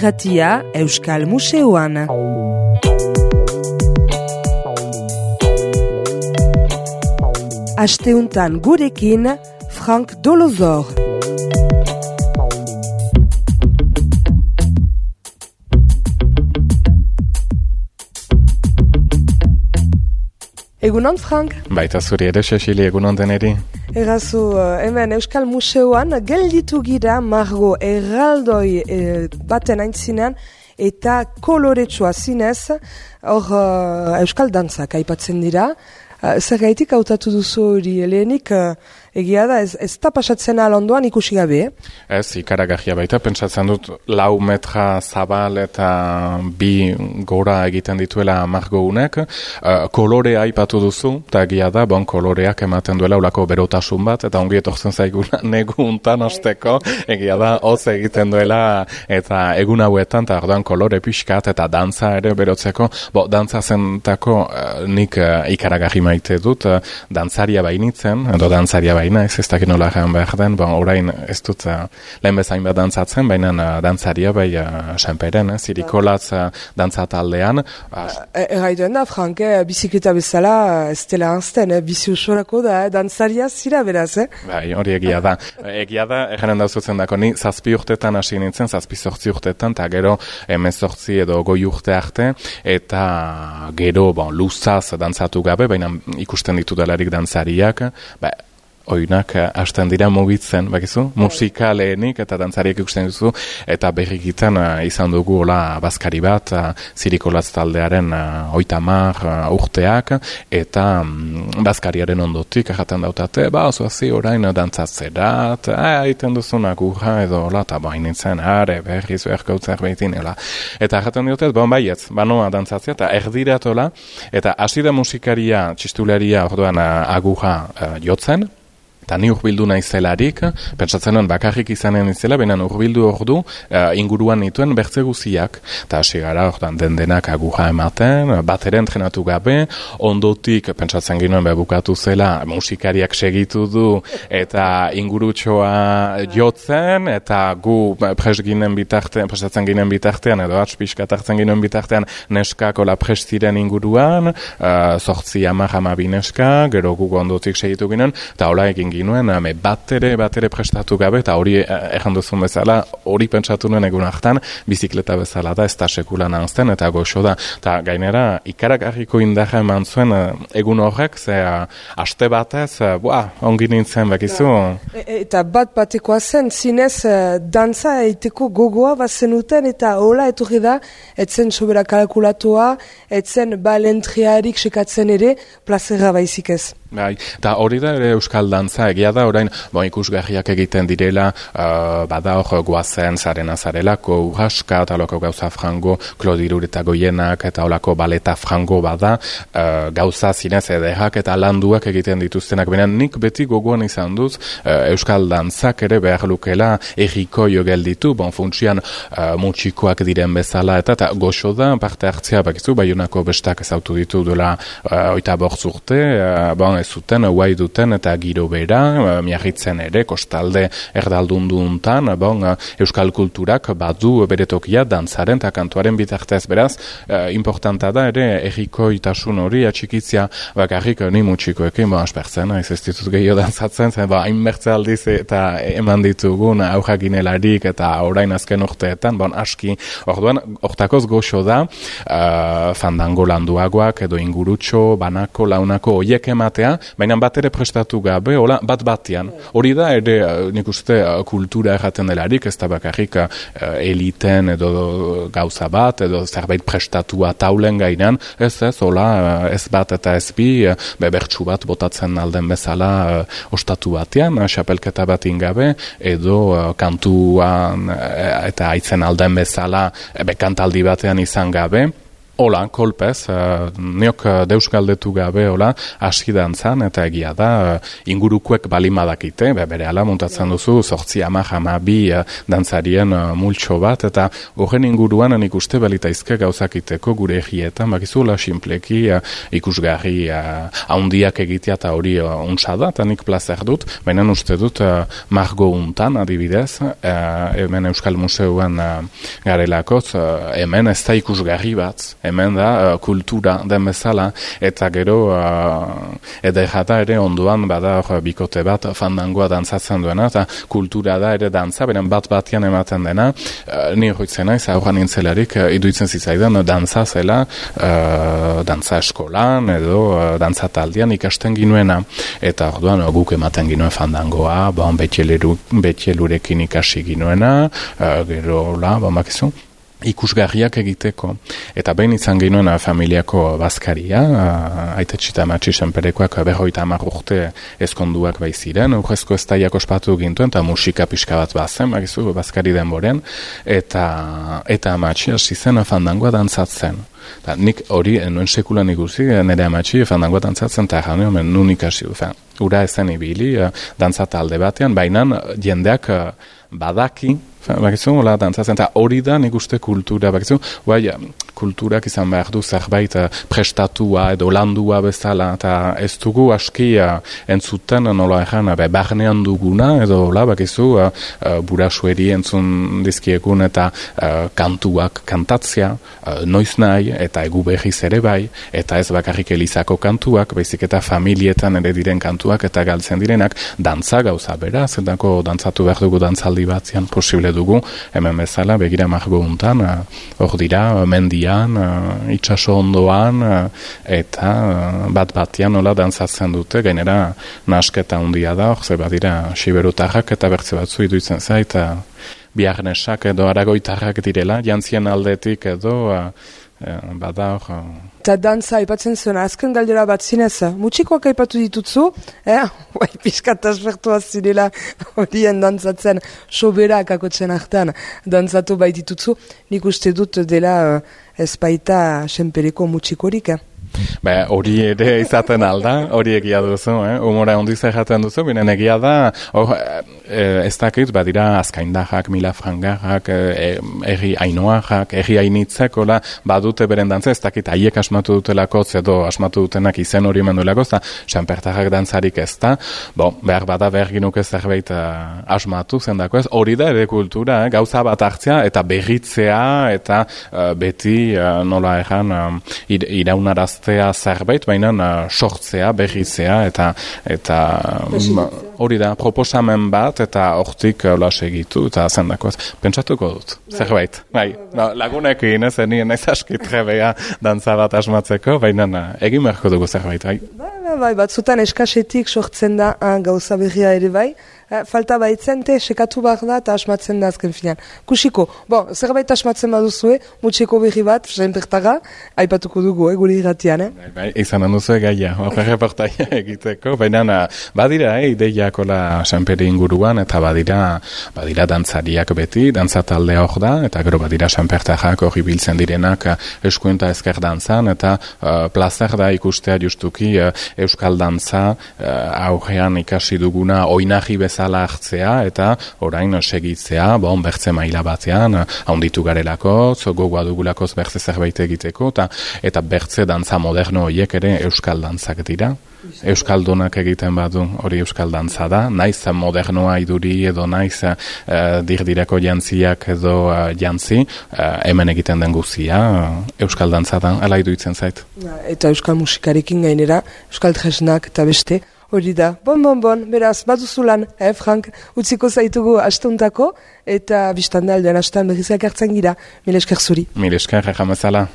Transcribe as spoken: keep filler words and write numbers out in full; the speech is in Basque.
irratia Euskal Museoan. Asteuntan gurekin Frank Dolozor. Egunon, Frank? Baita zuri ere, Cecili, egunon deneri. Errazu, hemen Euskal Museoan gelditu gira Margo erraldoi e, baten aintzinean eta koloretsua zinez, hor uh, Euskal dantzak aipatzen dira. Uh, zer gaitik hautatu duzu hori lehenik, uh, egia da, ez, ez da pasatzen alondoan ikusi gabe? Ez, ikaragarria baita, pentsatzen dut lau metra zabal eta bi gora egiten dituela margounek. Uh, kolorea aipatu duzu, eta egia da, bon, koloreak ematen duela ulako berotasun bat, eta ongi etortzen zaiguna negu untan osteko, egia da, hoz egiten duela, eta egun hauetan, eta orduan kolore pixkat, eta dantza ere berotzeko, bo, dantza zentako uh, nik uh, ikaragarri maite dut, uh, dantzaria bainitzen, edo dantzaria baina, ez ez dakit nola egan behar den, bon, orain ez dut uh, lehen bezain bat dantzatzen, baina uh, dantzaria bai uh, senperen, eh, zirikolatz uh, dantzataldean. Uh, Erraiten da, Frank, eh, bizikleta bezala ez dela anzten, eh, bizi usorako da, eh, dantzaria zira beraz, eh? Bai, hori egia da. Egia da, eganen dauzutzen dako, ni zazpi urtetan hasi nintzen, zazpi zortzi urtetan, eta gero emezortzi edo goi urte arte, eta gero, bon, luzaz dantzatu gabe, baina ikusten ditu delarik dantzariak, ba, oinak hasten dira mugitzen, bakizu, musika lehenik eta dantzariak ikusten duzu, eta berrikitan uh, izan dugu hola bazkari bat, uh, zirikolatz taldearen uh, oitamar uh, urteak, eta um, bazkariaren ondotik jaten dautate, ba, ozoazi orain dantzatzerat, egiten duzuna gurra edo hola, eta bain nintzen, are, berriz, berkautzer behitin, eta jaten diotet, bon, baietz, banoa dantzatzea, eta erdiratola, eta hasi da musikaria, txistularia, orduan uh, agurra uh, jotzen, eta ni urbildu naizelarik, pentsatzen nuen bakarrik izanen izela, baina urbildu ordu uh, inguruan nituen bertze guziak. Eta hasi gara, ordan den denak agurra ematen, bat ere entrenatu gabe, ondotik pentsatzen ginoen bukatu zela, musikariak segitu du, eta ingurutxoa jotzen, eta gu pres ginen bitartean, presatzen ginen bitartean, edo atxpiskat hartzen ginen bitartean, neskako la prestiren inguruan, uh, sortzi amar amabi neska, gero gu ondotik segitu ginen, eta hola egin ginuen, ame, bat ere, bat ere prestatu gabe, eta hori erran duzun bezala, hori pentsatu nuen egun hartan, bizikleta bezala da, ez da sekula nanzten, eta goxo da. Eta gainera, ikaragarriko indarra eman zuen egun horrek, ze aste batez, boa, ongi nintzen, bakizu. E, eta bat batekoa zen, zinez, dantza eiteko gogoa bazenuten, eta hola etorri da, etzen sobera kalkulatua, etzen balentriarik sekatzen ere, plazera baizik ez. Bai, eta hori da ere euskal dantza, egia da orain, bon, ikusgarriak egiten direla, uh, bada hor guazen zarena zarelako, urraska, eta holako gauza frango, Klodirur eta goienak, eta holako baleta frango bada, uh, gauza zinez ederrak eta landuak egiten dituztenak. Baina nik beti gogoan izan duz, uh, euskal dantzak ere behar lukela erriko jo gelditu, bon, funtsian uh, mutxikoak diren bezala, eta, eta goxo da parte hartzea, bakizu, Baionako bestak ezautu ditu duela uh, oita bortz urte, uh, bon, zuten, guai duten, eta giro bera, miarritzen ere, kostalde erdaldunduntan, bon, euskal kulturak badu beretokia dantzaren eta kantuaren bitartez, beraz, eh, importanta da ere, erriko itasun hori atxikitzia, bakarrik ni mutxikoekin, bon, aspertzen, ez ez ditut gehiago dantzatzen, zen, ba, hainbertze aldiz eta eman ditugun aurrak ginelarik eta orain azken urteetan, bon, aski, orduan, hortakoz goxo da, uh, fandango landuagoak edo ingurutxo, banako, launako, oiek ematea, baina bat ere prestatu gabe, hola, bat batian. Hori da, ere, nik uste, kultura erraten delarik, ez da bakarrik uh, eliten edo gauza bat, edo zerbait prestatua taulen gainan, ez ez, hola, ez bat eta ez bi, bebertsu bat botatzen alden bezala uh, ostatu batean, xapelketa bat ingabe, edo uh, kantuan uh, eta aitzen alden bezala, uh, bekantaldi batean izan gabe, Hola, kolpez, uh, neok uh, deus galdetu gabe, hola, hasi dantzan, eta egia da, uh, ingurukuek balimadakite, be, bere ala muntatzen duzu, sortzi ama jama bi uh, dantzarien uh, multxo bat, eta horren inguruan nik uste balitaizke gauzakiteko gure egietan, bakizu, hola, simpleki uh, ikusgarri uh, haundiak egitea eta hori uh, untsa da, eta nik plazer dut, baina uste dut uh, margo untan, adibidez, uh, hemen Euskal Museoan uh, garelakoz, uh, hemen ez da ikusgarri bat, hemen da uh, kultura den bezala, eta gero uh, edera ere ondoan bada uh, bikote bat fandangoa dantzatzen duena, eta kultura da ere dantza, beren bat batian ematen dena, uh, ni hoitzen naiz, aurran nintzelarik, uh, iduitzen zitzaidan, uh, dantza zela, uh, dantza eskolan, edo uh, dantza taldean ikasten ginuena, eta orduan uh, guk ematen ginuen fandangoa, bon, betxelurekin ikasi ginuena, uh, gero, la, bon, bakizu, ikusgarriak egiteko. Eta behin izan genuen familiako bazkaria, aitetxita matxi senperekoak berroita hamar urte ezkonduak baiziren, urrezko estaiak ospatu gintuen, eta musika pixka bat bazen, bakizu, bazkari denboren, eta, eta matxi hasi zen fandangoa dantzatzen. Ta, nik hori nuen sekulan ikusi, nire amatxi fandangoa dantzatzen, eta jane, omen, nun ikasi, fen, ura ezen ibili, dantzata alde batean, baina jendeak badaki, bakizu, hola, dantzatzen, eta hori da nik uste kultura, bakizu, bai, kulturak izan behar du zerbait prestatua edo landua bezala, eta ez dugu aski entzuten, nola egan, be, barnean duguna, edo, hola, bakizu, uh, uh, burasueri entzun dizkiekun, eta uh, kantuak kantatzea, uh, noiz nahi, eta egu behiz ere bai, eta ez bakarrik elizako kantuak, baizik eta familietan ere diren kantuak, eta galtzen direnak, dantza gauza bera, zendako dantzatu behar dugu dantzaldi batzian posible dugu, hemen bezala, begira margo untan, hor dira, mendian, uh, itxaso ondoan, uh, eta uh, bat batian nola dantzatzen dute, gainera nasketa handia da, hor ze badira siberutarrak eta bertze batzu iduitzen zait, uh, biarnesak edo aragoitarrak direla, jantzien aldetik edo, uh, uh, bada hor... Eta dantza aipatzen zuen, azken galdera bat zinez, mutxikoak aipatu ditutzu, eh? Bai, pixkat aspertua zirela horien dantzatzen, soberak akotzen hartan dantzatu bai ditutzu, nik uste dut dela ez baita senpereko mutxikorik, eh? Ba, hori ere izaten alda, hori egia duzu, eh? Humora ondiz erraten duzu, binen egia da, hor, e, ez dakit, badira azkaindajak, milafrangarrak, erri e, ainoajak, erri ainitzek, hola, badute beren dantza, ez dakit, haiek asmatu dutelako, edo asmatu dutenak izen hori menduelako, eta sanpertarrak dantzarik ez da, bo, behar bada behar ginuke zerbait uh, asmatu zendako ez, hori da ere kultura, eh? Gauza bat hartzea, eta berritzea, eta uh, beti, uh, nola erran, um, ir, iraunaraz zerbait, baina uh, sortzea, berrizea, eta eta hori da, proposamen bat, eta hortik hola segitu, eta zendakoaz. Pentsatuko dut, zerbait. Bai, no, lagunekin, ez, nien naiz aski trebea dantza bat asmatzeko, baina egin beharko dugu zerbait, bai. Bai, bai, batzutan eskasetik sortzen da ah, gauza berria ere bai. Falta baitzen, te, sekatu behar da, eta asmatzen da azken finean. Kusiko, bon, zerbait asmatzen baduzue, mutxeko berri bat, senpertaga, aipatuko dugu, eh, gure irratian, eh? Bai, bai, izan handuzue gaia, horre reportaia egiteko, baina badira, eh, ideiakola senperi inguruan, eta badira, badira dantzariak beti, dantzatalde hor da, eta gero badira senpertajak hori biltzen direnak eskuenta ezker dantzan, eta uh, plazer da ikustea justuki uh, euskal dantza uh, aurrean ikasi duguna oinarri bezala hartzea, eta orain segitzea, bon, bertze maila batean, haunditu garelakoz, gogoa dugulakoz bertze zerbait egiteko, eta, eta bertze dantza moderno horiek ere euskal dantzak dira. Euskaldunak egiten badu hori euskal dantza da, naiz modernoa iduri edo naiz uh, dirdireko jantziak edo uh, jantzi, uh, hemen egiten den guzia, uh, euskal dantza da, ala iduitzen zait. Eta euskal musikarekin gainera, euskal tresnak eta beste, hori da. Bon, bon, bon, beraz, baduzulan, eh, Frank, utziko zaitugu astuntako, eta biztanda aldean astan berrizak hartzen gira. Mil esker zuri. Mil esker, jamazala.